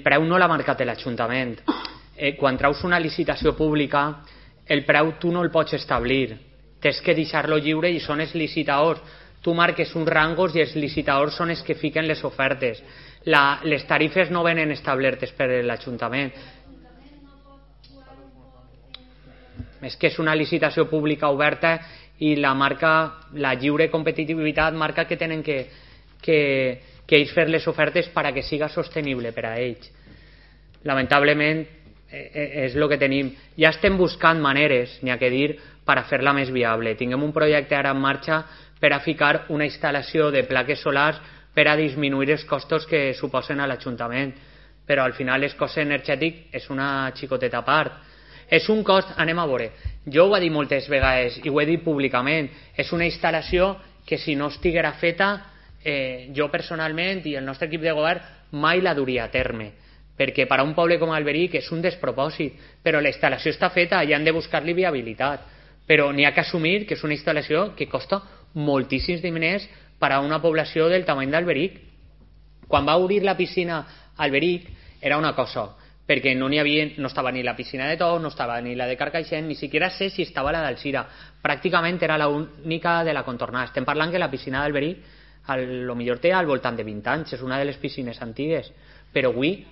El preu no l'ha marcat l'Ajuntament. Quan treus una licitació pública, el preu tu no el pots establir. Tens que deixar-lo lliure i són els licitadors. Tu marques uns rangos i els licitadors són els que fiquen les ofertes. Les tarifes no venen establertes per l'Ajuntament. És que és una licitació pública oberta i la lliure competitivitat marca que tenen que ells fer les ofertes perquè siga sostenible per a ells. Lamentablement és el que tenim. Ja estem buscant maneres, n'hi ha que dir, per a fer-la més viable. Tinguem un projecte ara en marxa per a ficar una instal·lació de plaques solars per a disminuir els costos que suposen a l'Ajuntament. Però al final el cost energètic és una xicoteta part. És un cost, anem a veure, jo ho he dit moltes vegades i ho he dit públicament, és una instal·lació que si no estiguera feta, jo personalment i el nostre equip de govern mai la duria a terme, perquè per a un poble com Alberic és un despropòsit, però la instal·lació està feta i han de buscar-li viabilitat, però n'hi ha que assumir que és una instal·lació que costa moltíssims diners per a una població del tamany d'Alberic. Quan va obrir la piscina a Alberic era una cosa, perquè no estava ni la piscina de Tous, no estava ni la de Carcaixent, ni siquiera sé si estava la d'Alzira, pràcticament era l'única de la contornada. Estem parlant que la piscina d'Alberic potser té al voltant de 20 anys, és una de les piscines antigues, però avui,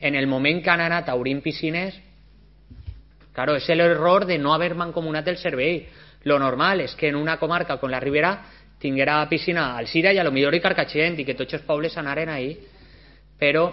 en el moment que han anat a obrir piscines, claro, és l'error de no haver mancomunat el servei. Lo normal és que en una comarca com la Ribera tinguera piscina a Alzira i a lo millor i Carcaixent i que tots els pobles anaren ahí, però